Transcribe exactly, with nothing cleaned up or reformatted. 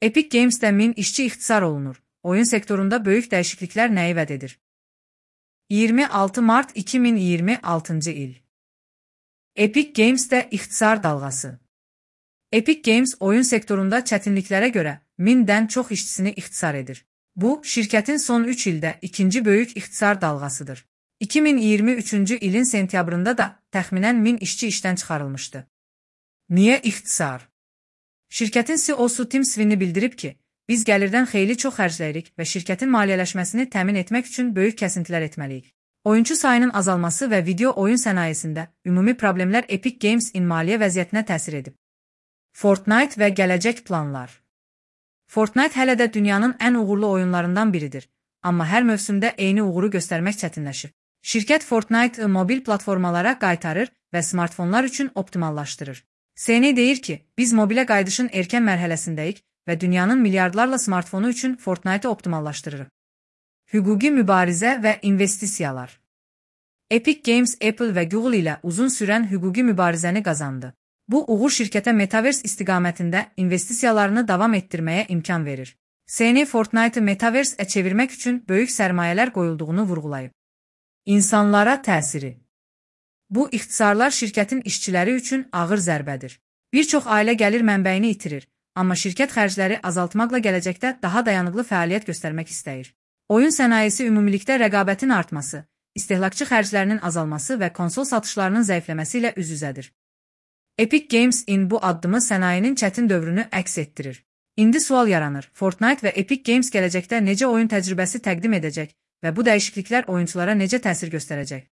Epic Games'də min işçi ixtisar olunur. Oyun sektorunda böyük dəyişikliklər nəyi vəd edir? iyirmi altı mart iki min iyirmi altıncı il. Epic Games'də ixtisar dalğası. Epic Games oyun sektorunda çətinliklərə görə mindən çox işçisini ixtisar edir. Bu, şirkətin son üç ildə ikinci böyük ixtisar dalğasıdır. iki min iyirmi üçüncü ilin sentyabrında da təxminən min işçi işdən çıxarılmışdı. Niyə ixtisar? Şirkətin C E O-su Tim Sweeney bildirib ki, biz gəlirdən xeyli çox xərcləyirik və şirkətin maliyyələşməsini təmin etmək üçün böyük kəsintilər etməliyik. Oyunçu sayının azalması və video oyun sənayesində ümumi problemlər Epic Games-in maliyyə vəziyyətinə təsir edib. Fortnite və gələcək planlar. Fortnite hələ də dünyanın ən uğurlu oyunlarından biridir, amma hər mövsümdə eyni uğuru göstərmək çətinləşir. Şirkət Fortnite mobil platformalara qaytarır və smartfonlar üçün optimallaşdırır. Sweeney deyir ki, biz mobilə qayıdışın erkən mərhələsindəyik və dünyanın milyardlarla smartfonu üçün Fortnite-ı optimallaşdırırıq. Hüquqi mübarizə və investisiyalar. Epic Games, Apple və Google ilə uzun sürən hüquqi mübarizəni qazandı. Bu, uğur şirkətə Metaverse istiqamətində investisiyalarını davam etdirməyə imkan verir. Sweeney Fortnite-ı Metaverse-ə çevirmək üçün böyük sərmayələr qoyulduğunu vurğulayıb. İnsanlara təsiri. Bu ixtisarlar şirkətin işçiləri üçün ağır zərbədir. Bir çox ailə gəlir mənbəyini itirir, amma şirkət xərcləri azaltmaqla gələcəkdə daha dayanıqlı fəaliyyət göstərmək istəyir. Oyun sənayesi ümumilikdə rəqabətin artması, istehlakçı xərclərinin azalması və konsol satışlarının zəifləməsi ilə üz-üzədir. Epic Games-in bu addımı sənayenin çətin dövrünü əks etdirir. İndi sual yaranır, Fortnite və Epic Games gələcəkdə necə oyun təcrübəsi təqdim edəcək və bu dəyişikliklər oyunçulara necə təsir göstərəcək?